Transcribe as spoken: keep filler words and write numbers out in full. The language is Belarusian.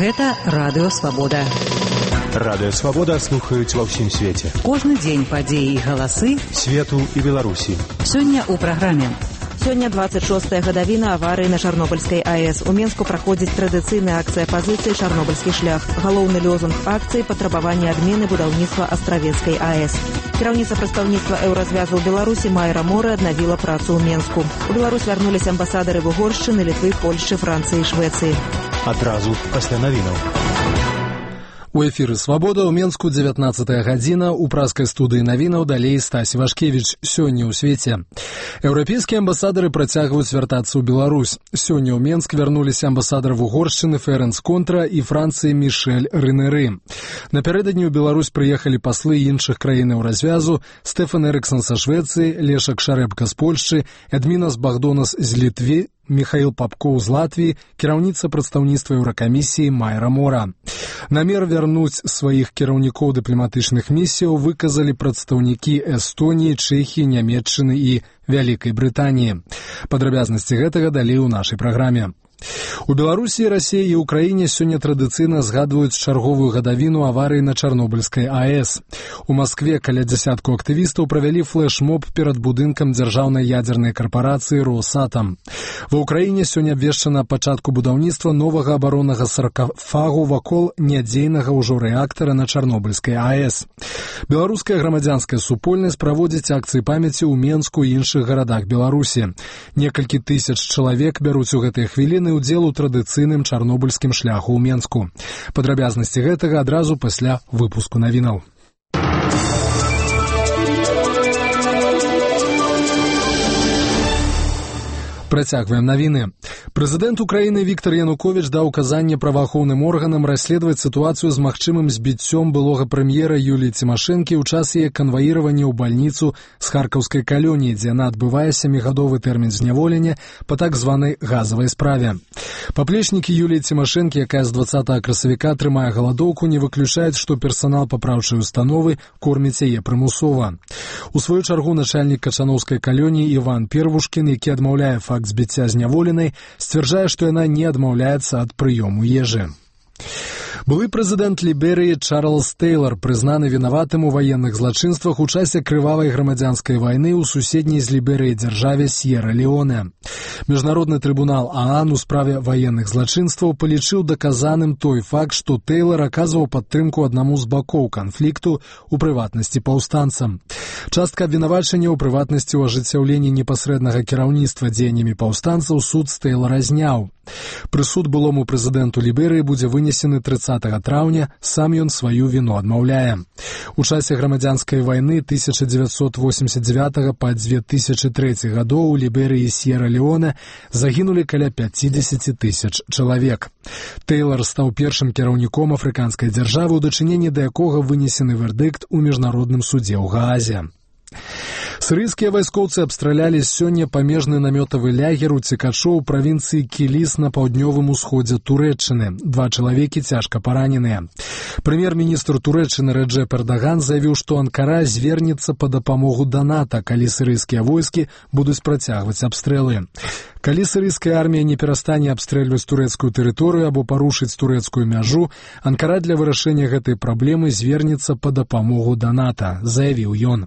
Гэта Радыё Свабода. Радыё Свабода слухаюць ва ўсім свеце. Кожны дзень падзеі і галасы свету і Беларусі. Сёння ў праграме. Сёння двадцать шостая гадавіна аварыі на Чарнобыльскай АЭС. У Менску праходзіць традыцыйная акцыя пазіцыі «Чарнобыльскі шлях». Галоўны лозунг акцыі – патрабаванне адмены будаўніцтва Астравецкай АЭС. Кіраўніца прадстаўніцтва Еўразвязу ў Беларусі Майра Мора аднавіла працу ў Менску. У Беларусь вярнуліся амбасадары Угоршчыны, Літвы, Польшчы, Францыі і Швецыі. Адразу пасля навінаў. У эфіры «Свабода» ў Менску дзевятнаццатая гадзіна, у праскай студыі навінаў далей Стась Івашкевіч. Сёння ў свеце. Еўрапейскія амбасадары працягваюць вяртацца ў Беларусь. Сёння ў Менск вярнуліся амбасадар Угоршчыны Ферэнц Контра і Францыі Мішэль Рынеры. Напярэдадні ў Беларусь прыехалі паслы іншых краін Еўразвязу: Стэфан Эрыксон са Швецыі, Лешак Шарэбка з Польшчы, Эдмінас Багдонас з Літвы, Михаил Попкоў з Латвіі, кіраўніца прадстаўніцтва Еўракамісіі Майра Мора. Намер вярнуць сваіх кіраўнікоў дыпламатычных місіяў выказалі прадстаўнікі Эстоніі, Чэхіі, Нямецчыны і Вялікай Брытаніі. Падрабязнасці гэтага далей у нашай праграме. У Беларусі, Расіі і Ўкраіне сёння традыцыйна згадваюць чарговую гадавіну аварыі на Чарнобыльскай АЭС. У Маскве каля дзясятку актывістаў правялі флэш-моб перад будынкам дзяржаўнай ядзернай карпарацыі «Росатам». Ва Ўкраіне сёння абвешчана пачатку будаўніцтва новага абароннага саркафагу вакол нядзейнага ўжо рэактара на Чарнобыльскай АЭС. Беларуская грамадзянская супольнасць праводзіць акцыі памяці ў Менску і іншых гарадах Беларусі. Некалькі тысяч чалавек бяруць у гэтыя хвіліны удзел у традыцыйным чарнобыльскім шляху ў Менску. Падрабязнасці гэтага адразу пасля выпуску навінаў. Працягваем навіны. Прэзідэнт Украіны Віктор Януковіч даў указанне праваахоўным органам расследаваць сітуацыю з магчымым збіццём былога прэм'ера Юліі Цімашэнкі ў час яе канваіравання ў бальніцу з харкаўскай калоніі, дзе яна адбывае сямігадовы тэрмін зняволення па так званай газавай справе. Паплечнікі Юліі Цімашэнкі, якая з дваццатага красавіка трымае галадоўку, не выключаюць, што персанал папраўчай установы корміць яе прымусова. У сваю чаргу начальнік качановскай калоніі Іван Первушкін, які адмаўляе факт збіцця зняволенай, сцвярджае, што яна не адмаўляецца ад прыёму ежы. Былы прэзідэнт Ліберыі Чарлз Тэйлар прызнаны вінаватым у ваенных злачынствах у часе крывавай грамадзянскай вайны ў суседняй з Ліберыяй дзяржаве Сьерра-Леоне. Міжнародны трыбунал ААН у справе ваенных злачынстваў палічыў даказаным той факт, што Тэйлар аказваў падтрымку аднаму з бакоў канфлікту, у прыватнасці паўстанцам. Частка абвінавачання ў прыватнасці ў ажыццяўленні непасрэднага кіраўніцтва дзеяннямі паўстанцаў суд з Тэйлара зняў. Прысуд былому прэзідэнту Ліберыі будзе вынесены трыццатага траўня, сам ён сваю віну адмаўляе. У часе грамадзянскай вайны тысяча дзевяцьсот восемьдесят девятага па две тысячы трэці гадоў у Ліберыі і Сьерра-Леоне загінулі каля пяцьдзесят тысяч чалавек. Тэйлар стаў першым кіраўніком афрыканскай дзяржавы, у дачыненні да якога вынесены вердыкт у міжнародным судзе ў Гаазе. Сірыйскія вайскоўцы абстралялі сёння памежны намётавы лягер у Цікачо ў правінцыі Кіліс на паўднёвым усходзе Турэччыны. Два чалавекі цяжка параненыя. Прэм'ер-міністр Турэччыны Рэджэп Эрдаган заявіў, што Анкара звернецца па дапамогу да НАТО, калі сірыйскія войскі будуць працягваць абстрэлы. Калі сірыйская армія не перастане абстрэльваць турэцкую тэрыторыю або парушыць турэцкую мяжу, Анкара для вырашэння гэтай праблемы звернецца па дапамогу да НАТО, заявіў ён.